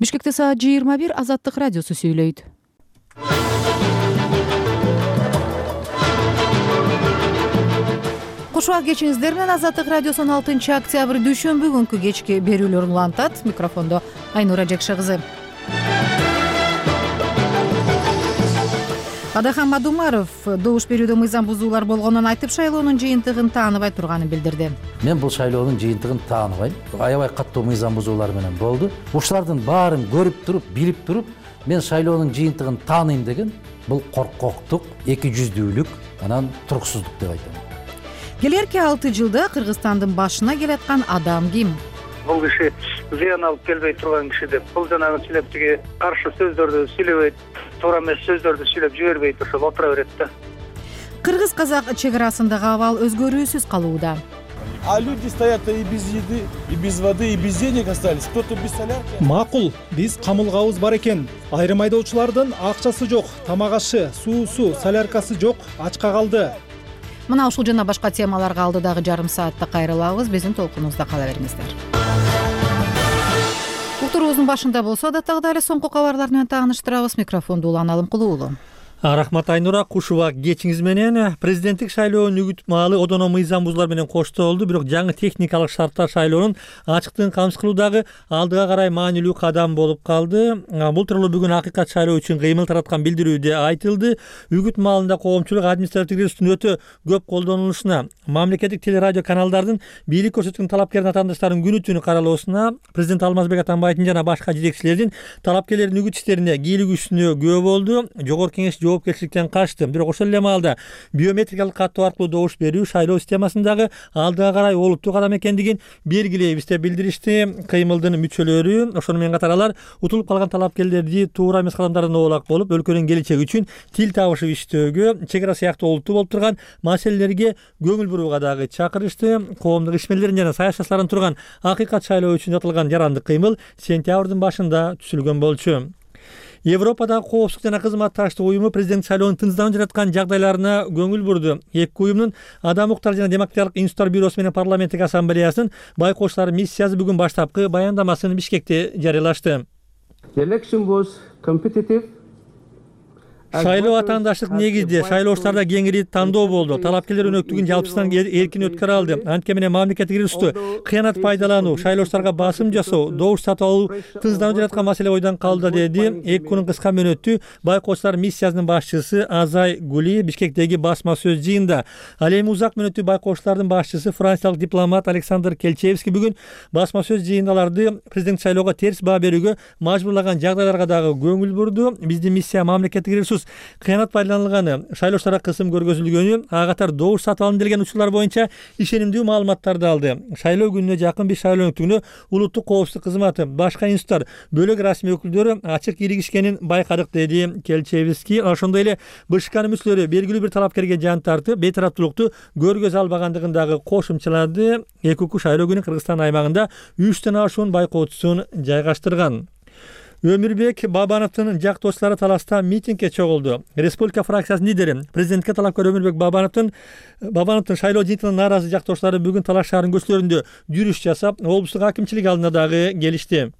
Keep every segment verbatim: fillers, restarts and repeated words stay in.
Бишкекте саат жыйырма бир, Азаттык радиосу сүйлөйт. Кушуак кечиңиздер менен Азаттык радиосунун алтынчы октябрь дүйшөмбү күнкү кечки берүүлөр улантат. Микрофондо Айнура Жекше кызы. Адахан Мадумаров добуш берүүдө мыйзам бузуулар болгонун айтып, шайлоонун жыйынтыгын тааныбай турганын билдирди. Мен бул шайлоонун жыйынтыгын тааныбайм. Аябай каттуу мыйзам бузуулар менен болду. Ушулардын баарын көрүп туруп, билип туруп, мен шайлоонун жыйынтыгын тааныйм деген бул коркоктук, эки жүздүүлүк, анан туруксуздук деп айтам. Келерки алты жылда Кыргызстандын башына келаткан адам ким? Бул киши зыян алып келбей турган киши деп, бул жанагы силептиги каршы сөздөрдү сүйлөбөйт, туура эмес сөздөрдү сүйлөп жибербейт, ошол отура берет да. Кыргыз-казак чек арасындагы абал өзгөрүүсүз калууда. А люди стоят и без еды, и без воды, и без денег остались. Кто-то без солярки. Макул, биз камылгабыз бар экен. Айрым айдоочулардын акчасы жок, тамак ашы, суусу, соляркасы жок, ачка калды. Мына ушул жана башка темаларга алдыдагы жарым саатта кайрылабыз. Биздин толкунубузда кала бериңиздер. Уктуруубуздун башында болсо да тагы эле соңку кабарлар менен тааныштырабыз. Микрофонду Улан Алымкулуулу. Рахмат Айнура, кушубак кечиңиз менен. Президенттик шайлоонун үгүт маалы одоно мыйзам бузуулар менен коштолду, бирок жаңы техникалык шарттар шайлоонун ачыктыгын камсыз кылуудагы алдыга карай маанилүү кадам болуп калды. Бул тууралуу бүгүн акыйкат шайлоо үчүн кыймыл тараткан билдирүүдө айтылды. Үгүт маалында коомчулук административдик ресурстун өтө көп колдонулушуна, мамлекеттик телерадио каналдардын бийлик көрсөткөн талапкер атаандаштардын күнү түнү каралоосуна, президент Алмазбек Атамбаевдин жана башка жетекчилердин талапкерлердин үгүт иштерине кийлигүүсүнө күбө болду. Жогорку кеңеш жоопкерчиликтен качты. Бирок ошол эле маалда биометрикалык каттоо аркылуу добуш берүү шайлоо системасындагы алдыга карай олуттуу кадам экендигин белгилейбиз деп билдиришти кыймылдын мүчөлөрү. Ошону менен катар алар утулуп калган талапкерлерди туура эмес кадамдардан оолак болуп, өлкөнүн келечеги үчүн тил табышып иштөөгө, чек ара сыяктуу олуттуу болуп турган маселелерге көңүл бурууга дагы чакырышты. Коомдук ишмерлердин жана саясатчылардын турган акыйкат шайлоо үчүн жатылган жарандык кыймыл сентябрдын башында түзүлгөн болчу. Европадагы коопсуздук жана кызматташтык уюму президент шайлоонун тынчсызданып жаткан жагдайларына көңүл бурду. Эки уюмдун Адам укуктары жана демократиялык институттар бюросу менен парламенттик ассамблеясынын байкоочулар миссиясы бүгүн баштапкы баяндамасын Бишкекте жарыялашты. Шайлоо атаандаштык негизде, шайлоочуларда кеңири тандоо болду. Талапкерлер өнөктүгүн жалпысынан эркин өткөрө алды. Анткени менен мамлекеттик ресурсту кыянат пайдалануу, шайлоочуларга басым жасоо, добуш сатып алуу тынчсызданып жаткан маселе ойдон калды, деди эки күнүн кыска мөөнөттүү байкоочулар миссиясынын башчысы Азай Гули Бишкектеги басма сөз жыйында. Ал эми узак мөөнөттүү байкоочулардын башчысы франциялык дипломат Александр Келчевский бүгүн басма сөз жыйында аларды президент шайлоого терс баа берүүгө мажбурлаган жагдайларга дагы көңүл бурду. Биздин миссия мамлекеттик ресурс кыянат пайдаланылганы, шайлоочуларга кысым көргөзүлгөнү, ага катар добуш сатып алынды деген учурлар боюнча ишенимдүү маалыматтарды алды. Шайлоо күнүнө жакын биз шайлоо өнөктүгүнө улуттук коопсуздук кызматы, башка институттар, бөлөк расмий өкүлдөрү ачык киригишкенин байкадык, деди Келчевский. Ошондой эле БШКнын мүчөлөрү белгилүү бир талапкерге жан тартып, бейтараптуулукту көргөзө албагандыгын дагы кошумчалады. Эки укук шайлоо күнү Кыргызстан аймагында үчтөн ашуун байкоочусун жайгаштырган. Өмүрбек Бабановдун жактоочулары таласта митингге чогулду. Республика фракциясынын лидери, президентке талапкер Өмүрбек Бабановдун Бабановдун шайлоо жыйынтыгынан нааразы жактоочулары бүгүн Талаш шаарынын көчөлөрүндө жүрүш жасап, облустук акимчилик алдына дагы келишти.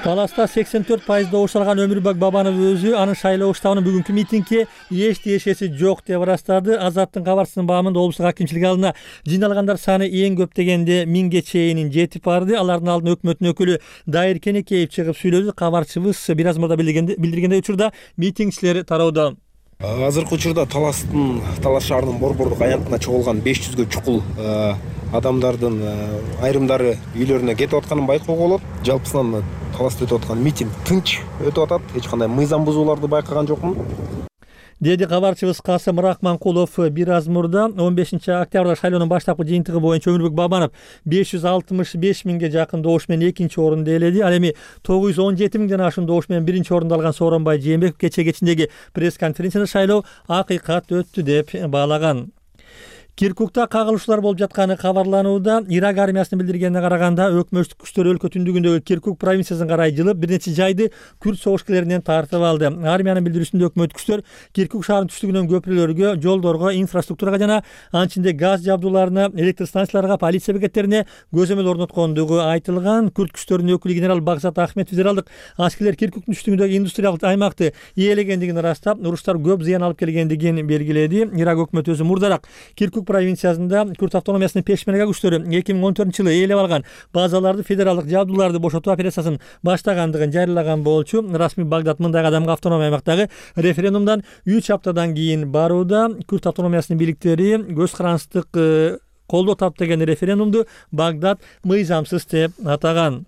Таласта сексен төрт пайыз добуш алган Өмүрбек Бабанов өзү анын шайлоо штабынын бүгүнкү митингге эч тиешеси жок деп ырастады. Азаттын кабарчысынын баамында облустук акимчилик алдына жыйналгандар саны эң көп дегенде миңге чейин жетип барды. Алардын алдына өкмөттүн өкүлү Дайыр Кенекеев чыгып сүйлөдү. Кабарчыбыз бир аз мурда билдиргендей учурда митингчилер тарауда. Азыркы учурда Таластын, Талаш шаарынын борбордук аянтына чогулган беш жүзгө чукул адамдардын айрымдары үйлөрүнө кетип атканын байкоого болот. Жалпысынан Таласта өтүп аткан митинг тынч өтүп атат. Эч кандай мыйзам бузууларды байкаган жокмун, деди кабарчыбыз Касым Рахманкулов бир аз мурда. он бешинчи октябрда шайлоонун баштапкы жыйынтыгы боюнча Өмүрбек Бабанов беш жүз алтымыш беш миңге жакын добуш менен экинчи орунду ээледи. Ал эми тогуз жүз он жети миңден ашуун добуш менен биринчи орунду алган Сооронбай Жээнбеков кече кечиндеги пресс конференцияда шайлоо акыйкат өттү деп баалаган. Киркукта кагылышуулар болуп жатканы кабарланууда. Ирак армиясынын билдиргенине караганда өкмөттүк күчтөр өлкө түндүгүндөгү Киркук провинциясына карай жылып бир нече жайды күрд согушкерлеринен тартып алды. Армиянын билдирүүсүндө өкмөттүк күчтөр Киркук шаарынын түштүгүнөн көпүрөлөргө, жолдорго, инфраструктурага жана анын ичинде газ жабдууларына, электр станцияларга, полиция бекеттерине көзөмөл орноткондугу айтылган. Күрд күчтөрүнүн өкүлү генерал Багзат Ахметов федералдык аскерлер Киркуктун түштүгүндөгү индустриялык аймакты ээлегендигин ырастап, уруштар көп зыян алып келгендигин белгиледи. Ирак өкмөтү өзү мурдараак Киркук провинциясында күрд автономиясынын пешмерга күчтөрү эки миң он төртүнчү жылы ээлеп алган базаларды, федералдык жабдууларды бошотуу операциясын баштагандыгын жарыялаган болчу. Расмий Багдад мындай кадамга автономия аймактагы референдумдан үч аптадан кийин барууда. Күрд автономиясынын бийликтери көз карандык колдоо тапты деген референдумду Багдад мыйзамсыз деп атаган.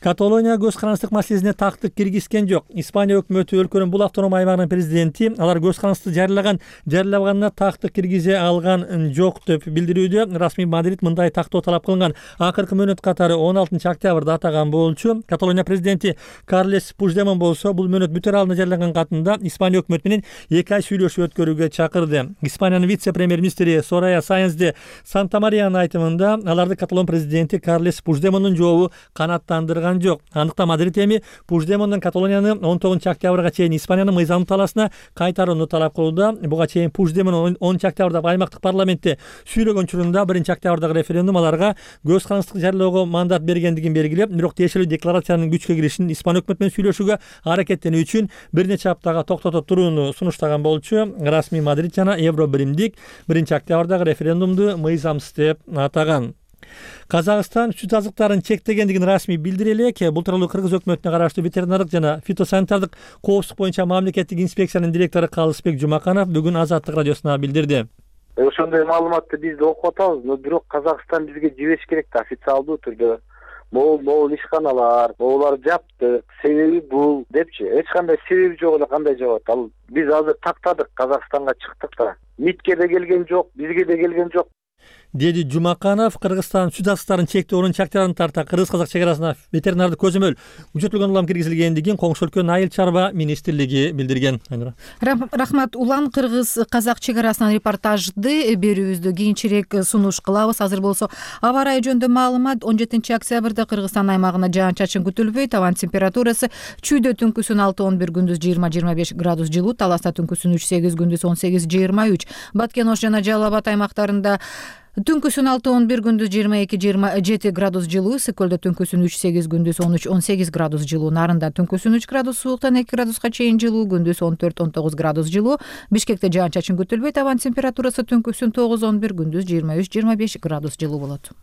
Каталония көз карандык маселесине тактык киргизген жок. Испания өкмөтү өлкөнүн бул автономия аймагынын президенти алар көз карандыкты жарыялаган, жарыялаганына тактык киргизе алган жок деп билдирүүдө. Расмий Мадрид мындай тактоо талап кылган акыркы мөөнөт катары он алтынчы октябрда атаган болчу. Каталония президенти Карлес Пуждемон болсо бул мөөнөт бүтөр алдында жарыялаган катында Испания өкмөтү менен эки ай сүйлөшүү өткөрүүгө чакырды. Испаниянын вице-премьер-министри Сорая Сайенс де Сантамариянын айтымында аларды каталон президенти Карлес Пуждемондун жообу канааттандырган жок. Андыктан Мадрид эми Пуждемондон Каталонияны он тогузунчу октябрга чейин Испаниянын мыйзамдуу талаасына кайтарууну талап кылууда. Буга чейин Пуждемон онунчу октябрда аймактык парламентте сүйлөгөн учурунда биринчи октябрдагы референдум аларга көз карандык жарыялоого мандат бергендигин белгилеп, бирок тиешелүү декларациянын күчкө киришин Испания өкмөтү менен сүйлөшүүгө аракеттенүү үчүн бир нече аптага токтото турууну сунуштаган болчу. Расмий Мадрид жана Евро биримдик биринчи октябрдагы референдумду мыйзамсыз деп атаган. Казакстан сүт азыктарын чектегендигин расмий билдире элек. Бул тууралуу Кыргыз өкмөтүнө караштуу ветеринардык жана фитосанитардык коопсуздук боюнча мамлекеттик инспекциянын директору Калысбек Жумаканов бүгүн Азаттык радиосуна билдирди. Ошондой маалыматты биз да окуп атабыз, но бирок Казакстан бизге жибериш керек да, официалдуу түрдө. Могул могул ишканалар, могулар жапты, себеби бул депчи. Эч кандай себеби жок эле кандай жабат. Ал биз азыр тактадык, Казакстанга чыктык да. МИДке да келген жок, бизге да келген жок, деди Жумаканов. Кыргызстан сүт азыктарын чектөө онунчу октябрдан тарта кыргыз-казак чек арасына ветеринардык көзөмөл күчөтүлгөн улам киргизилгендигин коңшу өлкөнүн айыл чарба министрлиги билдирген. Рахмат. Улан кыргыз-казак чек арасынан репортажды берүүбүздү кийинчерээк сунуш кылабыз. Азыр болсо аба ырайы жөнүндө маалымат. он жетинчи октябрда Кыргызстан аймагына жаан-чачын күтүлбөйт. Абанын температурасы чүйдө түнкүсүн алты он бир, күндүз жыйырма жыйырма беш градус жылуу, Таласта түнкүсүн үч сегиз, күндүз он сегиз жыйырма үч. Баткен Ош жана Жалал Абад аймактарында түнкүсүн алты он бир, күндүз жыйырма эки жыйырма жети градус жылуу, Ысык-Көлдө түнкүсүн үч сегиз, күндүз он үч он сегиз градус жылуу, Нарында түнкүсүн үч градус сууктан эки градуска чейин жылуу, күндүз он төрт он тогуз градус жылуу. Бишкекте жаан-чачын күтүлбөйт. Абанын температурасы түнкүсүн тогуз он бир, күндүз жыйырма үч жыйырма беш градус жылуу болот.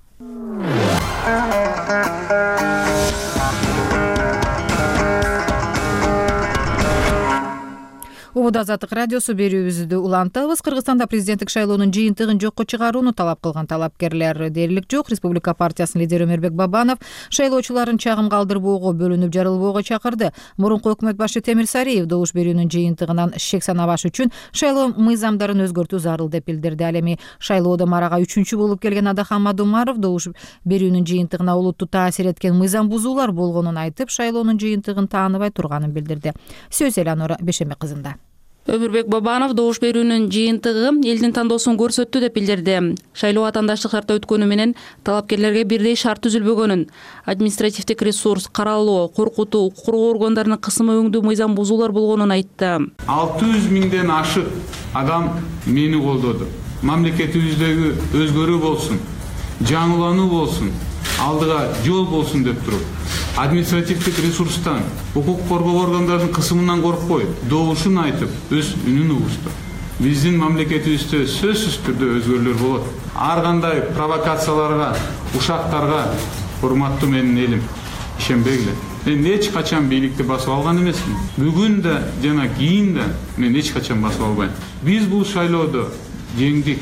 Убуд Азаттык радиосу берүүбүздү улантабыз. Кыргызстанда президенттик шайлоонун жыйынтыгын жокко чыгарууну талап кылган талапкерлер дээрлик жок. Республика партиясынын лидери Өмөрбек Бабанов шайлоочуларын чагым калтырбоого, бөлүнүп жарылбоого чакырды. Мурунку өкмөт башы Темир Сариев добуш берүүнүн жыйынтыгынан шек санабаш үчүн шайлоо мыйзамдарын өзгөртүү зарыл деп билдирди. Ал эми шайлоодо марага үчүнчү болуп келген Адахан Мадумаров добуш берүүнүн жыйынтыгына олутту таасир эткен мыйзам бузуулар болгонун айтып, шайлоонун жыйынтыгын тааныбай турганын билдирди. Сөз Эланора Бешембек кызында. Өмүрбек Бабанов добуш берүүнүн жыйынтыгы элдин тандоосун көрсөттү деп билдирди. Шайлоо атаандаштык шартта өткөнү менен талапкерлерге бирдей шарт түзүлбөгөнүн, административдик ресурс, каралоо, коркутуу, укук коргоо органдарынын кысымы өңдүү мыйзам бузуулар болгонун айтты. алты жүз миңден ашык адам мени колдоду. Мамлекетибиздеги өзгөрүү болсун, жаңылануу болсун, алдыга жол болсун деп туруп, административдик ресурстан, укук коргоо органдарынын кысымынан коркпой, добушун айтып, өз үнүн угушту. Биздин мамлекетибизде сөзсүз түрдө өзгөрүүлөр болот. Ар кандай провокацияларга, ушактарга, урматтуу менин элим, ишенбегиле. Мен эч качан бийликти басып алган эмесмин. Бүгүн да жана кийин да мен эч качан басып албайм. Биз бул шайлоодо жеңдик.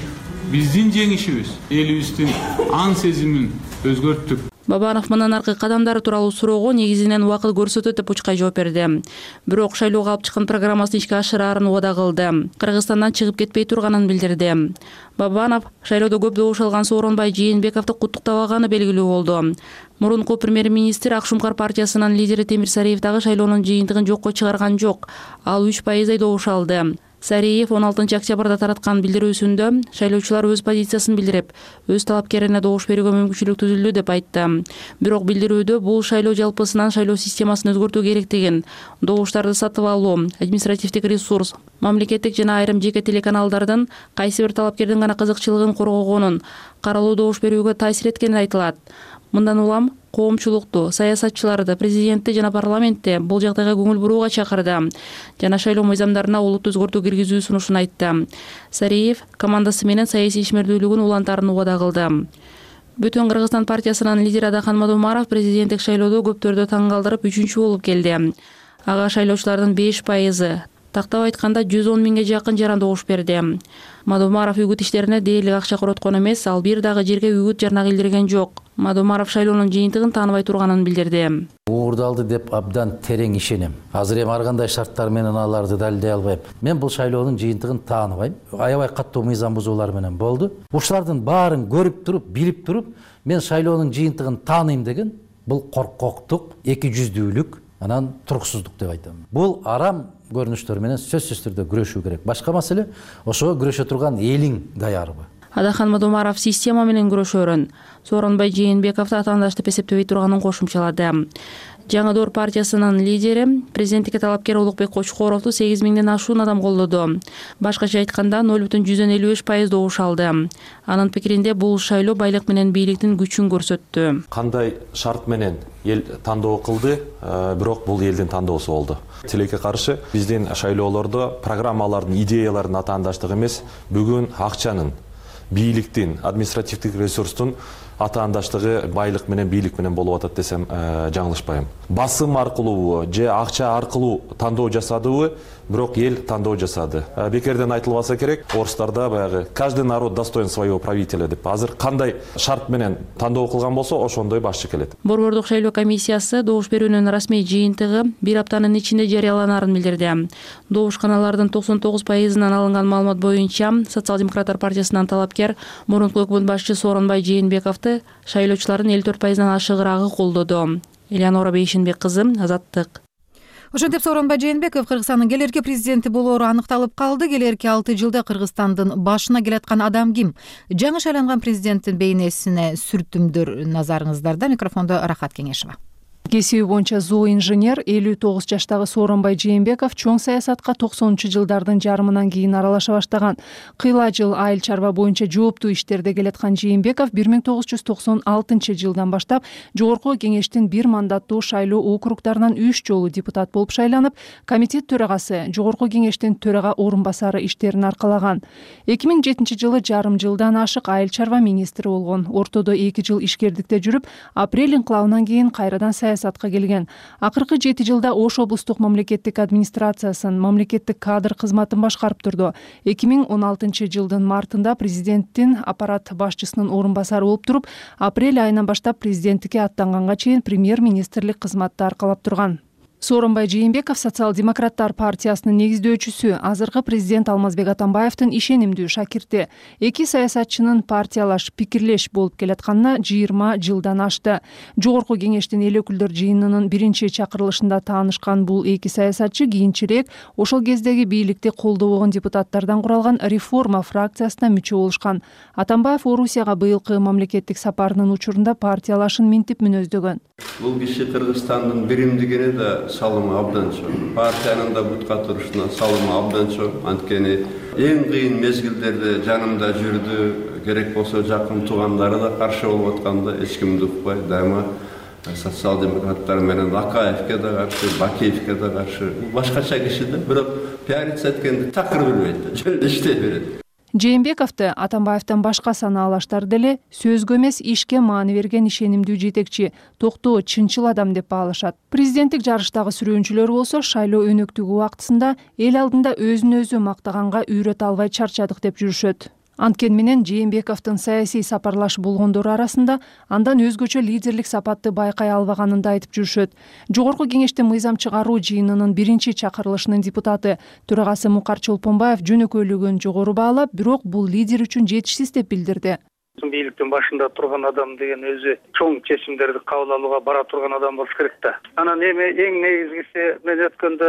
Биздин жеңишибиз элибиздин ан сезимин өзгөрттүк. Бабанов мындан аркы кадамдары тууралуу суроого негизинен убакыт көрсөтөт деп учкай жооп берди. Бирок шайлоого алып чыккан программасын ишке ашыраарын убада кылды. Кыргызстандан чыгып кетпей турганын билдирди. Бабанов шайлоодо көп добуш алган Сооронбай Жээнбековду куттуктабаганы белгилүү болду. Мурунку премьер-министр Ак Шумкар партиясынын лидери Темир Сариев дагы шайлоонун жыйынтыгын жокко чыгарган жок. Ал үч пайыздай добуш алды. Сариев он алтынчы октябрда тараткан билдирүүсүндө шайлоочулар өз позициясын билдирип, өз талапкерине добуш берүүгө мүмкүнчүлүк түзүлдү деп айтты. Бирок билдирүүдө бул шайлоо жалпысынан шайлоо системасын өзгөртүү керектигин, добуштарды сатып алуу, административдик ресурс, мамлекеттик жана айрым жеке телеканалдардын кайсы бир талапкердин гана кызыкчылыгын коргогонун, каралуу добуш берүүгө таасир эткени айтылат. Мындан улам коомчулукту, саясатчыларды, президентти жана парламентте бул жагдайга көңүл бурууга чакырды жана шайлоо мыйзамдарына олуттуу өзгөртүү киргизүү сунушун айтты. Сариев командасы менен саясий ишмердүүлүгүн улантаарын убада кылды. Бүтүн Кыргызстан партиясынын лидери Адахан Мадумаров президенттик шайлоодо көптөрдү таң калтырып үчүнчү болуп келди. Ага шайлоочулардын беш пайызы, тактап айтканда жүз он миңге жакын жаран добуш берди. Мадумаров үгүт иштерине дээрлик акча короткон эмес, ал бир дагы жерге үгүт жарнак илдирген жок. Мадумаров шайлоонун жыйынтыгын тааныбай турганын билдирди. Уурдалды деп абдан терең ишенем. Азыр эми ар кандай шарттар менен аларды далилдей албайм. Мен бул шайлоонун жыйынтыгын тааныбайм. Аябай каттуу мыйзам бузуулар менен болду. Ушулардын баарын көрүп туруп, билип туруп, мен шайлоонун жыйынтыгын тааныйм деген бул коркоктук, эки жүздүүлүк, анан туруксуздук деп айтам. Бул арам көрүнүштөр менен сөзсүз түрдө күрөшүү керек. Башка маселе ошого күрөшө турган элиң даярбы? Адахан Мадумаров система менен күрөшөрүн, Сооронбай Жээнбековду атаандаш деп эсептебей турганын кошумчалады. Жаңы Доор партиясынын лидери президенттикке талапкер Улукбек Кочкоровду сегиз миңден ашуун адам колдоду. Башкача айтканда ноль бүтүн жүздөн элүү беш пайыз добуш алды. Анын пикиринде бул шайлоо байлык менен бийликтин күчүн көрсөттү. Кандай шарт менен эл тандоо кылды, бирок бул элдин тандоосу болду. Тилекке каршы биздин шайлоолордо программалардын, идеялардын атаандаштыгы эмес, бүгүн акчанын, бийликтин, административдик ресурстун атаандаштыгы байлык менен бийлик менен болуп атат десем жаңылышпайм. Басым аркылуу же акча аркылуу тандоо жасадыбы, бирок эл тандоо жасады. Бекерден айтылбаса керек, орустарда баягы каждый народ достоин своего правителя деп. Азыр кандай шарт менен тандоо кылган болсо, ошондой башчы келет. Борбордук шайлоо комиссиясы добуш берүүнүн расмий жыйынтыгы бир аптанын ичинде жарыяланарын билдирди. Добушканалардын токсон тогуз пайызынан алынган маалымат боюнча Социал-демократтар партиясынан талапкер мурунку өкмөт башчы Сооронбай Жээнбековду шайлоочулардын элүү төрт пайыздан ашыгыраагы колдоду. Элеонора Бейшинбек кызы, Азаттык. Ошентип Сооронбай Жээнбеков Кыргызстандын келерки президенти болоору аныкталып калды. Келерки алты жылда Кыргызстандын башына келаткан адам ким? Жаңы шайланган президенттин бейнесине сүртүмдөр назарыңыздарда. Микрофондо Рахат Кеңешова. Кесиби боюнча зооинженер элүү тогуз жаштагы Сооронбай Жээнбеков чоң саясатка токсонунчу жылдардын жарымынан кийин аралаша баштаган. Кыйла жыл айыл чарба боюнча жооптуу иштерде келаткан Жээнбеков бир миң тогуз жүз токсон алтынчы жылдан баштап Жогорку Кеңештин бир мандаттуу шайлоо округдарынан үч жолу депутат болуп шайланып, комитет төрагасы, Жогорку Кеңештин төрага орун басары иштерин аркалаган. эки миң жетинчи жылы жарым жылдан ашык айыл чарба министри болгон. Ортодо эки жыл ишкердикте жүрүп, апрель инкылабынан кийин кайрадан саясатка келген. Акыркы жети жылда Ош облустук мамлекеттик администрациясын, мамлекеттик кадр кызматын башкарып турду. эки миң он алтынчы жылдын мартында президенттин аппарат башчысынын орун басары болуп туруп, апрель айынан баштап президенттикке аттанганга чейин премьер-министрлик кызматты аркалап турган. Сооронбай Жээнбеков Социал-демократтар партиясынын негиздөөчүсү, азыркы президент Алмазбек Атамбаевдин ишенимдүү шакирти. Эки саясатчынын партиялаш, пикирлеш болуп келатканына жыйырма жылдан ашты. Жогорку Кеңештин эл өкүлдөр жыйынынын биринчи чакырылышында таанышкан бул эки саясатчы кийинчерээк ошол кездеги бийликти колдобогон депутаттардан куралган реформа фракциясына мүчө болушкан. Атамбаев Орусияга быйылкы мамлекеттик сапарынын учурунда партиялашын минтип мүнөздөгөн. Бул киши Кыргызстандын биримдигине да салымы абдан чоң. Партиянын да бутка турушуна салымы абдан чоң. Анткени эң кыйын мезгилдерде жанымда жүрдү. Керек болсо жакын туугандары да каршы болуп атканда эч кимди укпай, дайыма социал-демократтар менен Акаевке да каршы, Бакиевке да каршы. Башкача киши да, бирок пиариться эткенди такыр билбейт, жөн иштей берет. Жээнбековду Атамбаевден башка санаалаштар деле сөзгө эмес ишке маани берген ишенимдүү жетекчи, токтоо, чынчыл адам деп баалашат. Президенттик жарыштагы сүрөөнчүлөр болсо шайлоо өнөктүгү убактысында эл алдында өзүн өзү мактаганга үйрөтө албай чарчадык деп жүрүшөт. Анткени менен Жээнбековдун саясий сапарлаш болгондору арасында андан өзгөчө лидерлик сапатты байкай албаганын да айтып жүрүшөт. Жогорку Кеңештин мыйзам чыгаруу жыйынынын биринчи чакырылышынын депутаты, төрагасы Мукар Чолпонбаев жөнөкөйлүгүн жогору баалап, бирок бул лидер үчүн жетишсиз деп билдирди. Бийликтин башында турган адам деген өзү чоң чечимдерди кабыл алууга бара турган адам болуш керек да. Анан эми эң негизгиси мен өткөндө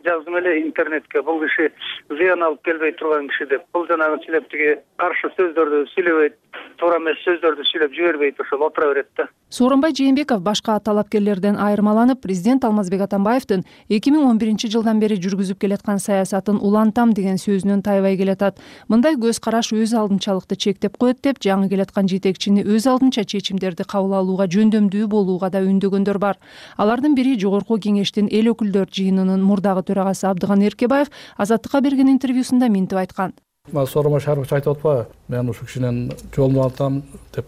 жаздым эле интернетке, бул киши зыян алып келбей турган киши деп. Бул жанагы силептиги каршы сөздөрдү сүйлөбөйт, туура эмес сөздөрдү сүйлөп жибербейт, ошол отура берет да. Сооронбай Жээнбеков башка талапкерлерден айырмаланып, президент Алмазбек Атамбаевдин эки миң он биринчи жылдан бери жүргүзүп келаткан саясатын улантам деген сөзүнөн тайбай келатат. Мындай көз караш өз алдынчалыкты чектеп коет деп, жаңы келаткан жетекчини өз алдынча чечимдерди кабыл алууга жөндөмдүү болууга да үндөгөндөр бар. Алардын бири Жогорку Кеңештин эл өкүлдөр жыйынынын мурдагы төрагасы Абдыган Эркебаев Азаттыкка берген интервьюсунда мынтип айткан. Сооронбай Шарипович айтып атпайбы, мен ушул кишинен жолун алтам деп,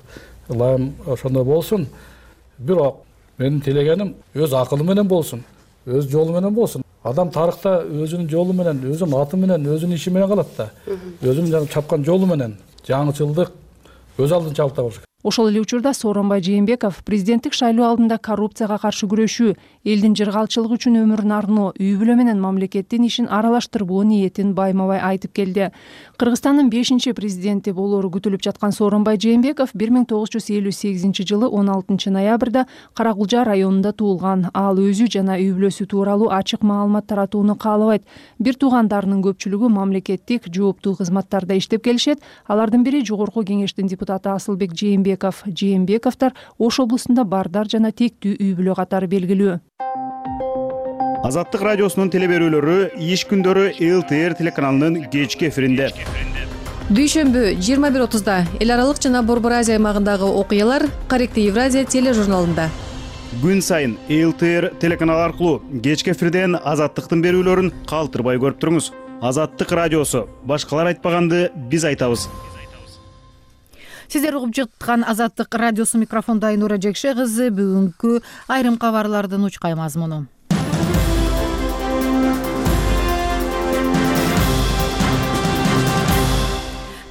ылайым ошондой болсун. Бирок менин тилегеним өз акылы менен болсун, өз жолу менен болсун. Адам тарыхта өзүнүн жолу менен, өзүнүн аты менен, өзүнүн иши менен калат да. Өзүнүн чапкан жолу менен жаңычылдык өз алдынчалыкта болуш керек. Ошол эле учурда Сооронбай Жээнбеков президенттик шайлоо алдында коррупцияга каршы күрөшүү, элдин жыргалчылыгы үчүн өмүрүн арноо, үй бүлө менен мамлекеттин ишин аралаштырбоо ниетин байма-бай айтып келди. Кыргызстандын бешинчи президенти болору күтүлүп жаткан Сооронбай Жээнбеков бир миң тогуз жүз элүү сегизинчи жылы он алтынчы ноябрда Каракулжа районунда туулган. Ал өзү жана үй бүлөсү тууралуу ачык маалымат таратууну каалабайт. Бир туугандарынын көпчүлүгү мамлекеттик жооптуу кызматтарда иштеп келишет. Алардын бири Жогорку Кеңештин депутаты Асылбек Жээнбеков. Жээнбековдор Ош облусунда бардар жана тектүү үй бүлө катары белгилүү. Азаттык радиосунун телеберүүлөрү иш күндөрү эл тэ эр телеканалынын кечки эфиринде. Дүйшөмбү жыйырма бир отузда эл аралык жана Борбор Азия аймагындагы окуялар Корректив Евразия тележурналында. Күн сайын эл тэ эр телеканалы аркылуу кечки эфирден Азаттыктын берүүлөрүн калтырбай көрүп туруңуз. Азаттык радиосу, башкалар айтпаганды биз айтабыз. Сиздер угуп жаткан Азаттык радиосу, микрофонда Айнура Жекше кызы. Бүгүнкү айрым кабарлардын учкай мазмуну.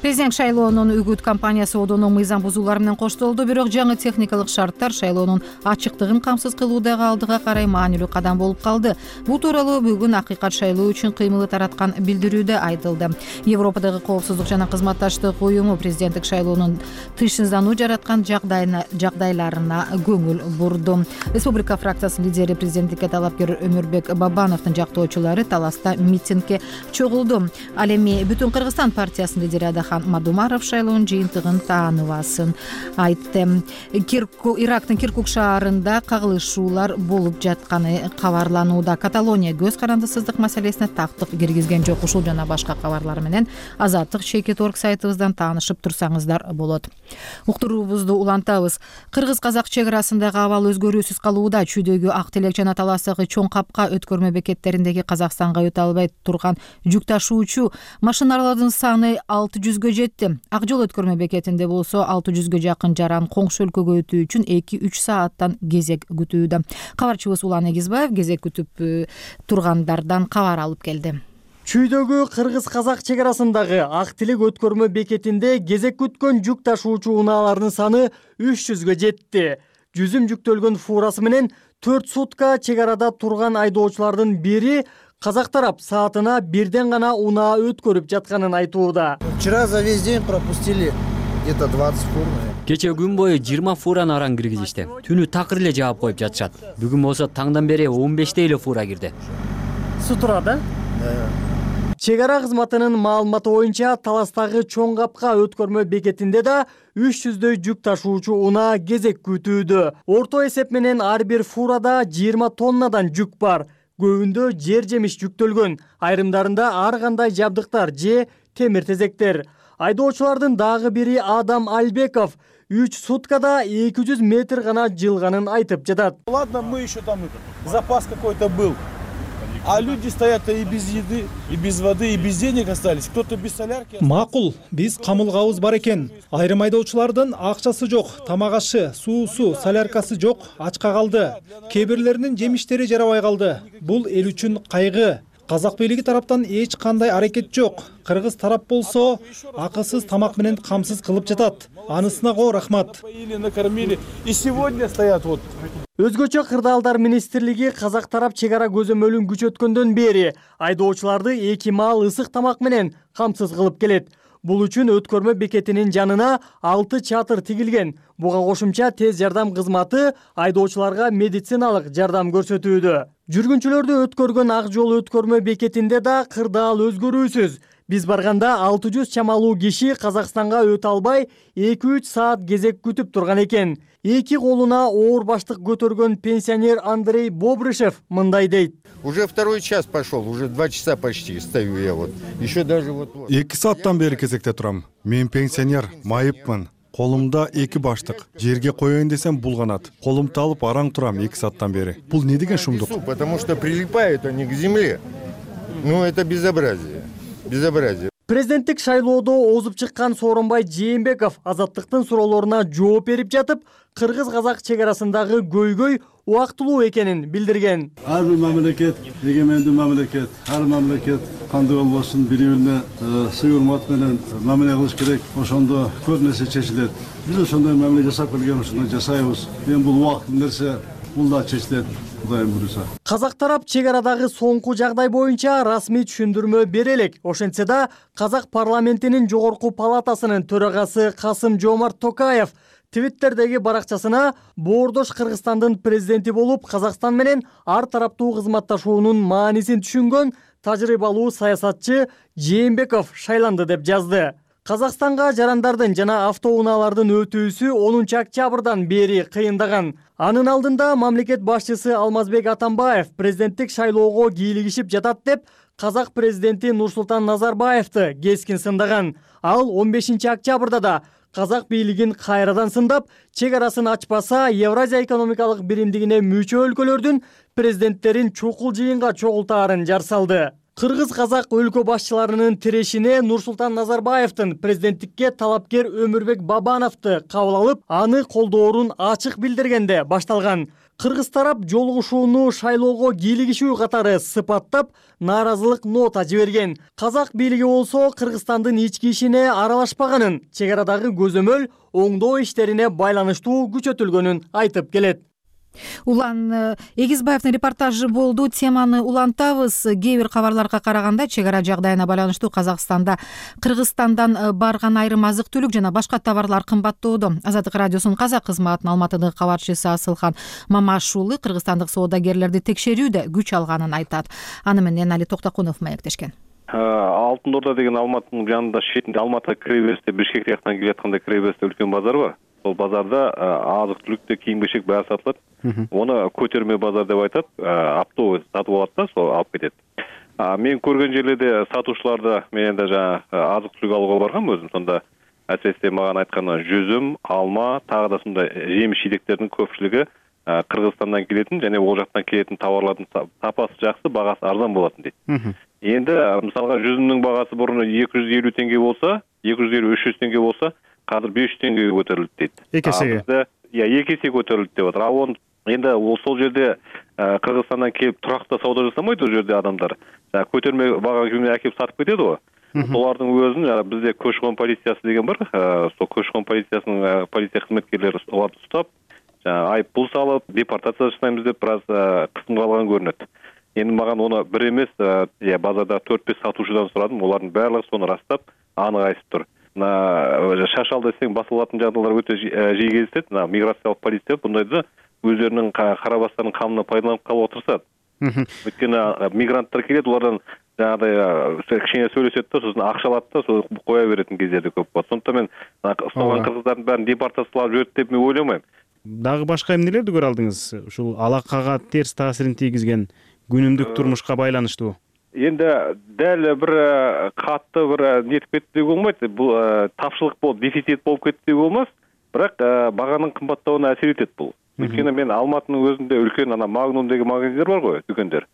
Президент шайлоонун үгүт кампаниясы одону мыйзам бузуулар менен коштолду, бирок жаңы техникалык шарттар шайлоонун ачыктыгын камсыз кылуудагы алдыга карай маанилүү кадам болуп калды. Бул тууралуу бүгүн Акыйкат шайлоо үчүн кыймылы тараткан билдирүүдө айтылды. Европадагы коопсуздук жана кызматташтык уюму президенттик шайлоонун тынчсыздануу жараткан жагдайларына көңүл бурду. Республика фракциясынын лидери, президенттикке талапкер Өмүрбек Бабановдун жактоочулары таласта митингге чогулду. Ал эми Бүтүн Кыргызстан партиясынын лидери Адахан Мадумаров шайлоонун жыйынтыгын тааныбасын айтты. Ирактын Киркук шаарында кагылышуулар болуп жатканы кабарланууда. Каталония көз карандысыздык маселесине тактык киргизген жок. Ушул жана башка кабарлар менен Азаттык чекит орг сайтыбыздан таанышып турсаңыздар болот. Уктуруубузду улантабыз. Кыргыз-казак чек арасындагы абал өзгөрүүсүз калууда. Чүйдөгү Ак Телек жана Таластагы Чоң Капка өткөрмө бекеттериндеги Казакстанга өтө албай турган жүк ташуучу машиналардын саны алты жүзгө жетти. Ак Жол өткөрмө бекетинде болсо алты жүзгө жакын жаран коңшу өлкөгө өтүү үчүн эки үч сааттан кезек күтүүдө. Кабарчыбыз Улан Эгизбаев кезек күтүп тургандардан кабар алып келди. Чүйдөгү кыргыз-казак чек арасындагы Ак Телек өткөрмө бекетинде кезек күткөн жүк ташуучу унаалардын саны үч жүзгө жетти. Жүзүм жүктөлгөн фурасы менен төрт сутка чек арада турган айдоочулардын бири казак тарап саатына бирден гана унаа өткөрүп жатканын айтууда. Вчера за весь день пропустили где-то двадцать фур. Кече күн бою жыйырма фураны аран киргизишти. Түнү такыр эле жаап коюп жатышат. Бүгүн болсо таңдан бери он беште эле фура кирди. Су турат, э? Чек ара кызматынын маалыматы боюнча Таластагы Чоң Капка өткөрмө бекетинде да үч жүздөй жүк ташуучу унаа кезек күтүүдө. Орто эсеп менен ар бир фурада жыйырма тоннадан жүк бар. Көбүндө жер жемиш жүктөлгөн, айрымдарында ар кандай жабдыктар же темир тезектер. Айдоочулардын дагы бири Адам Альбеков үч суткада эки жүз метр гана жылганын айтып жатат. Ладно, мы еще там запас какой-то был. А люди стоят и без еды, и без воды, и без денег остались. Кто-то без солярки. Макул, биз камылгабыз бар экен. Айрым айдоочулардын акчасы жок, тамак ашы, суусу, соляркасы жок, ачка калды. Кээ бирлеринин жемиштери жарабай калды. Бул эл үчүн кайгы. Казак бийлиги тараптан эч кандай аракет жок. Кыргыз тарап болсо акысыз тамак менен камсыз кылып жатат. Анысына го рахмат. Накормили. И сегодня стоят вот. Өзгөчө кырдаалдар министрлиги казак тарап чек ара көзөмөлүн күчөткөндөн бери айдоочуларды эки маал ысык тамак менен камсыз кылып келет. Бул үчүн өткөрмө бекетинин жанына алты чатыр тигилген. Буга кошумча тез жардам кызматы айдоочуларга медициналык жардам көрсөтүүдө. Жүргүнчүлөрдү өткөргөн ак жол өткөрмө бекетинде да кырдаал өзгөрүүсүз. Биз барганда алты жүз чамалуу киши Казакстанга өтө албай эки үч саат кезек күтүп турган экен. Эки колуна оор баштык көтөргөн пенсионер Андрей Бобрышев мындай дейт. Уже второй час пошел, уже два часа почти стою я вот. Еще даже вот. эки сааттан бери кезекте турам. Мен пенсионер, майыпмын. Колумда эки баштык. Жерге коеюн десем булганат. Колумду алып араң турам эки сааттан бери. Бул не деген шумдук? Потому что прилипают они к земле. Ну это безобразие. Безобразие. Президенттик шайлоодо озуп чыккан Сооронбай Жээнбеков азаттыктын суроолоруна жооп берип жатып, кыргыз-казак чек арасындагы көйгөй убактылуу экенин билдирген. Ар бир мамлекет эгемендүү мамлекет, ар мамлекет кандай болбосун бири-бирине сый урмат менен мамиле кылыш керек. Ошондо көп нерсе чечилет. Биз ошондой мамиле жасап келген ушуну жасайбыз. Эми бул убакыттуу нерсе, бул да чечилет. Казак тарап чек арадагы соңку жагдай боюнча расмий түшүндүрмө бере элек. Ошентсе да, Казак парламентинин жогорку палатасынын төрагасы Касым Жомарт Токаев Твиттердеги баракчасына боордош Кыргызстандын президенти болуп, Казакстан менен ар тараптуу кызматташуунун маанисин түшүнгөн тажрыйбалуу саясатчы Жээнбеков шайланды деп жазды. Казакстанга жарандардын жана автоунаалардын өтүүсү онунчу октябрдан бери кыйындаган. Анын алдында мамлекет башчысы Алмазбек Атамбаев президенттик шайлоого кийлигишип жатат деп Казак президенти Нурсултан Назарбаевди кескин сындаган. Ал он бешинчи октябрда да Казак бийлигин кайрадан сындап, чек арасын ачпаса Евразия экономикалык биримдигине мүчө өлкөлөрдүн президенттерин чукул жыйынга чогултаарын жар салды. Кыргыз-казак өлкө башчыларынын тирешине Нурсултан Назарбаевдин президенттикке талапкер Өмүрбек Бабановду кабыл алып, аны колдоорун ачык билдиргенде башталган. Кыргыз тарап жолугушууну шайлоого кийлигишүү катары сыпаттап, нааразылык нота жиберген. Казак бийлиги болсо Кыргызстандын ички ишине аралашпаганын, чек арадагы көзөмөл оңдоо иштерине байланыштуу күчөтүлгөнүн айтып келет. Улан Эгизбаевдин репортажы болду. Теманы улантабыз. Кээ бир кабарларга караганда чек ара жагдайына байланыштуу Казакстанда Кыргызстандан барган айрым азык-түлүк жана башка товарлар кымбаттоодо. Азаттык радиосунун казак кызматынын Алматыдагы кабарчысы Асылхан Мамаш уулу кыргызстандык соодагерлерди текшерүүдө күч алганын айтат. Аны менен Али Токтокунов маектешкен. Алтын Орда деген Алматынын жанында шетинде Алматы киребесте Бишкек жактан келе жатканда киребесте үлкөн базар бар. Сол базарда азык-түлүктө кийим-кечек баары сатылат. Оны көтөрмө базар деп айтат. Автобус сатып алат да, сол алып кетет. Мен көргөн жерлерде сатуучуларда менен да жана азык-түлүк алууга баргам өзүм. Сонда әсіресе маған айтканы жүзүм, алма, тагы да сондай жемиш-жидектердин көпчүлүгү Кыргызстандан келетін және ол жақтан келетін товарлардың сапасы жақсы, бағасы арзан болатын дейді. Енді мысалға жүзімнің бағасы бұрын екі жүз елу теңге болса, екі жүз елу үш жүз теңге болса, қазір бес жүз теңгеге көтерілді дейді. Екі есеге? Иә, екі есе көтерілді деп отыр. Ал оны енді ол сол жерде Кыргызстандан келіп тұрақты сауда жасамайды ол жерде адамдар. Көтерме баға күйіне әкеліп сатып кетеді ғой. Солардың өзін бізде көші-қон полициясы деген бар. Сол көші-қон полициясының полиция қызметкерлері оларды ұстап, айыппұл салып, депортация жасаймыз деп біраз қысымға алған көрінеді. Енді маған оны бір емес, базарда төрт-бес сатушыдан сұрадым, олардың барлығы соны растап, анық айтып тұр. Шашалды десең басылатын жағдайлар өте жиі кездеседі. Миграциялық полиция бұндайды өздерінің қарабастарының қамына пайдаланып қалып отырсады. Өйткені мигранттар келеді, олардан жаңағыдай кішкене сөйлеседі да, сосын ақша алады да, сол қоя беретін кездерде көп болады. Сондықтан мен ұсталған қырғыздардың бәрін депортациялап жіберді деп мен ойламаймын. Дагы башка эмнелерди көрө алдыңыз? Ушул алакага терс таасирин тийгизген күнүмдүк турмушка байланыштуу. Енді дәл бір қатты бір нетіп кетті деуге болмайды. Бұл тапшылық болып, дефицит болып кетті деуге болмас. Бірақ бағаның қымбаттауына әсер етеді бұл. Өйткені мен Алматының өзінде үлкен ана Магнум деген магазиндер бар ғой, дүкендер.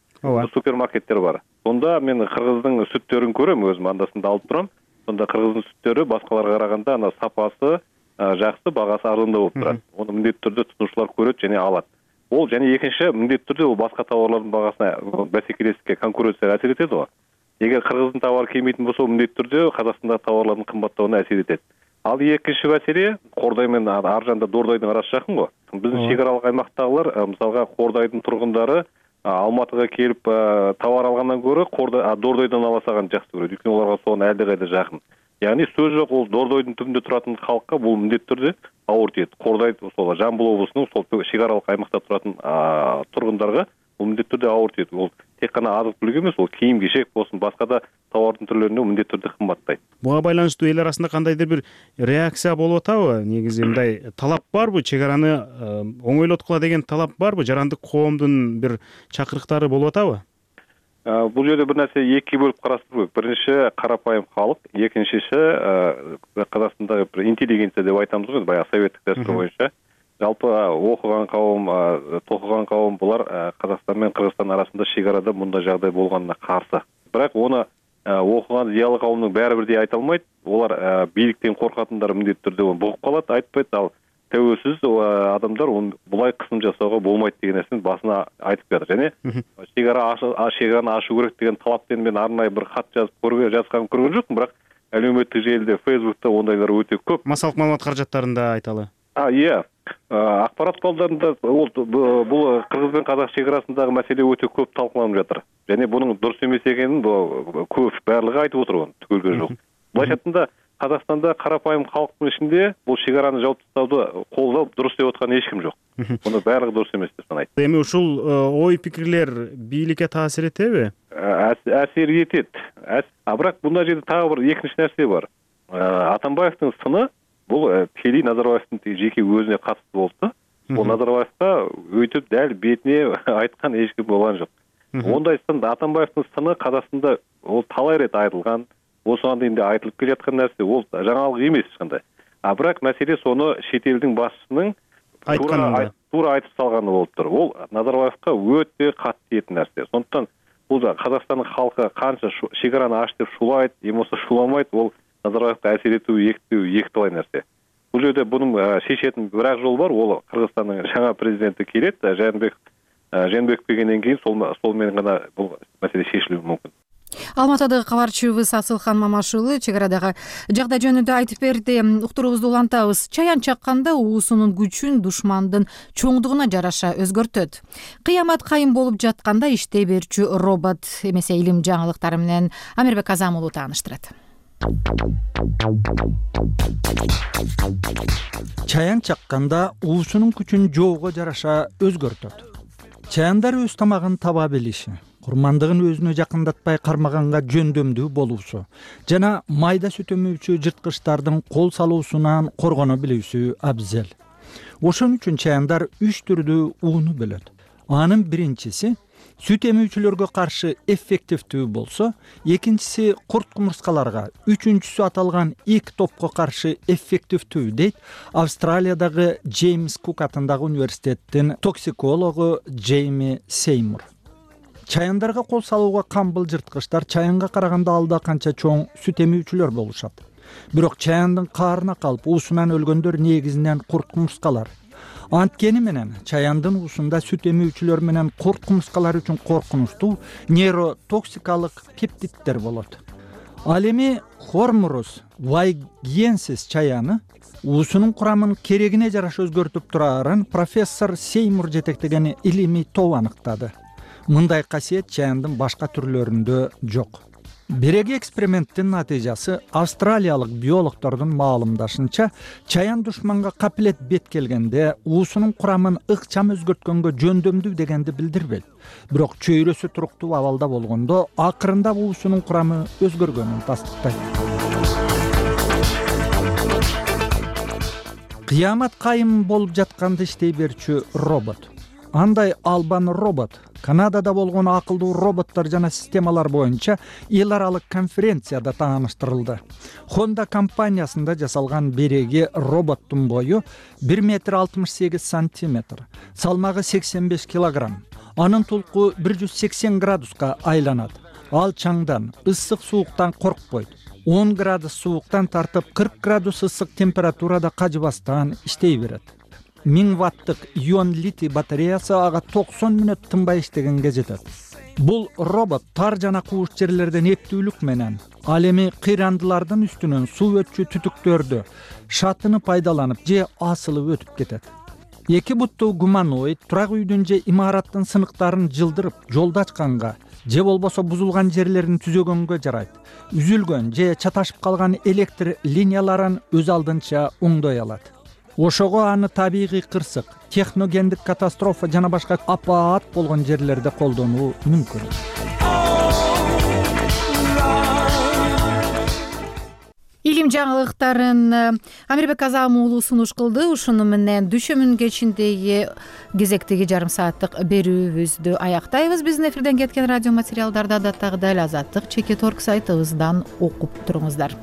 Супермаркеттер бар. Сонда мен қырғыздың сүттерін көрем, өзім андасында алып тұрам. Сонда қырғыздың сүттері басқаларға қарағанда ана сапасы жақсы, бағасы арзанда болып тұрады. Оны міндетті түрде тұтынушылар көреді және алады. Ол және екінші міндетті түрде ол басқа тауарлардың бағасына бәсекелестікке, конкуренцияға әсер етеді ғой. Егер қырғыздың тауары келмейтін болса, міндетті түрде Қазақстандағы тауарлардың қымбаттауына әсер етеді. Ал екінші мәселе Қордай мен Аржанда Дордайдың арасы жақын ғой. Біздің шекаралық аймақтағылар, мысалға Қордайдың тұрғындары Алматыға келіп тауар алғаннан гөрі Дордайдан ала салған жақсы көреді. Өйткені оларға соған әлдеқайда жақын. Яғни сөз жоқ, ол Дордойдың түбінде тұратын халыққа бұл міндетті түрде ауыр тиеді. Қордай сол Жамбыл облысының сол шекаралық аймақта тұратын тұрғындарға бул міндетті түрде ауыр тиет. Ол тек қана азық түлік емес, ол кийим кешек болсын, басқа да товардың түрлеріне міндетті түрде кымбаттайт. Буга байланыштуу эл арасында кандайдыр бир реакция болуп атабы? Негизи мындай талап барбы? Чек араны оңойлоткула деген талап барбы? Жарандык коомдун бир чакырыктары болуп атабы? Бул жерде бир нерсе эки бөлүп караштыруу керек. Биринчи карапайым халык, экинчиси Казакстандагы бир интеллигенция деп айтамыз го, баягы советтик дәстүр боюнча. Жалпы окуган кауым, токуган кауым булар Казакстан менен Кыргызстан арасында шек арада мындай жагдай болгонуна каршы. Бирок оны окуган зыялы кауымдун баары бирдей айта алмайт. Олар бийликтен коркатындар міндетті түрде бугуп калат, айтпайт. Ал тәуелсиз адамдар булай кысым жасоого болмойт деген нерсени басына айтып жатыр. Және шек ара шегараны ашуу керек деген талаппен мен арнайы бир кат жазып көргөн жазганын көргөн жокмун, бирок әлеуметтик желиде, Facebook'та ондайлар өтө көп. Массалык маалымат каражаттарында айталы. А, иә. Акпарат куралдарында бул Кыргыз менен Казак шек арасындагы маселе өтө көп талкууланып жатыр. Және бунун дурус эмес экенин көп баардыгы айтып отур, түгөлгө жок. Былайча айтканда Казакстанда карапайым халктын ичинде бул шек араны жауып тастауды колдоп дурус деп аткан эч ким жок. Муну баардыгы дурус эмес деп санайт. Эми ушул ой пикирлер бийликке таасир этеби? Таасир этет. А бирок мындай жерде дагы бир экинчи нерсе бар. Атамбаевдин сыны бул тикелей Назарбаевдин жеке өзүнө катыштуу болду. Бул Назарбаевга өйтүп дәл бетине айткан эч ким болгон жок. Ондай сын Атамбаевдин сыны Казакстанда ол талай рет айтылган. Осыған дейін де айтылып келе жатқан нәрсе, ол жаңалық емес ешқандай. А бірақ мәселе соны шет елдің басшысының тура айтып салғаны болып тұр. Ол Назарбаевқа өте қатты тиетін нәрсе. Сондықтан бұл Қазақстанның халқы қанша шекараны аш деп шулайды, емосы шуламайды, ол Назарбаевқа әсер ету екі талай нәрсе. Бұл жерде бұның шешетін бір-ақ жол бар, ол Қырғызстанның жаңа президенті келеді, Жээнбек Жээнбеков келгеннен кейін солмен ғана бұл мәселе шешілуі мүмкін. Алматыдагы кабарчыбыз Асылхан Мамашулы чек арадагы жагдай жөнүндө айтып берди. Уктуруубузду улантабыз. Чаян чакканда уусунун күчүн душмандын чоңдугуна жараша өзгөртөт. Кыямат кайым болуп жатканда иштей берчү робот эмесе илим жаңылыктары менен Амирбек Азам уулу тааныштырат. Чаян чакканда уусунун күчүн жоого жараша өзгөртөт. Чаяндар өз тамагын таба билиши, курмандыгын өзүнө жакындатпай кармаганга жөндөмдүү болуусу жана майда сүт өмүүчү жырткычтардын кол салуусунан коргоно билүүсү абзел. Ошон үчүн чаяндар үч түрдүү ууну бөлөт. Анын биринчиси сүт эмүүчүлөргө каршы эффективдүү болсо, экинчиси курт кумурскаларга, үчүнчүсү аталган эки топко каршы эффективдүү дейт Австралиядагы Джеймс Кук атындагы университеттин токсикологу Джейми Сеймур. Чаяндарга кол салууга камбыл жырткычтар чаянга караганда алда канча чоң сүт эмүүчүлөр болушат. Бирок чаяндын каарына калып уусунан өлгөндөр негизинен курт кумурскалар. Анткени менен чаяндын уусунда сүт эмүүчүлөр менен курт кумурскалар үчүн коркунучтуу нейротоксикалык пептиддер болот. Ал эми Хормурус вайгенсис чаяны уусунун курамын керегине жараша өзгөртүп турарын профессор Сеймур жетектеген илимий топ аныктады. Мындай касиет чаяндын башка түрлөрүндө жок. Биреги эксперименттин натыйжасы австралиялык биологдордун маалымдашынча, чаян душманга капилет бет келгенде уусунун курамын ыкчам өзгөрткөнгө жөндөмдүү дегенди билдирбейт. Бирок чөйрөсү туруктуу абалда болгондо акырында уусунун курамы өзгөргөнүн тастыктайт. Кыямат кайым болуп жатканда иштей берчү робот. Андай албан робот Канадада болгон акылдуу роботтор жана системалар боюнча эл аралык конференцияда тааныштырылды. Honda компаниясында жасалган биреги роботтун бою бир метр алтымыш сегиз сантиметр, салмагы сексен беш килограмм. Анын тулку бир жүз сексен градуска айланат. Ал чаңдан, ысык сууктан коркпойт. он градус сууктан тартып кырк градус ысык температурада кажыбастан иштей берет. миң ваттык ион литий батареясы ага токсон мүнөт тынбай иштегенге жетет. Бул робот тар жана кууш жерлерден эптүүлүк менен ал эми кыйрандылардын үстүнөн суу өтчү түтүктөрдү шатыны пайдаланып же асылып өтүп кетет. Эки буттуу гуманоид турак үйдүн же имараттын сыныктарын жылдырып жолду ачканга же болбосо бузулган жерлерин түзөгөнгө жарайт. Үзүлгөн же чаташып калган электр линияларын өз алдынча оңдой алат. ошого аны табигый кырсык, техногендик катастрофа жана башка апаат болгон жерлерде колдонуу мүмкүн. Илим жаңылыктарын Амирбек Азам уулу сунуш кылды. Ушуну менен дүшөмүн кечиндеги кезектеги жарым сааттык берүүбүздү аяктайбыз. Биздин эфирден кеткен радио материалдарды адаттагыдай эле Азаттык чекит орг сайтыбыздан окуп туруңуздар.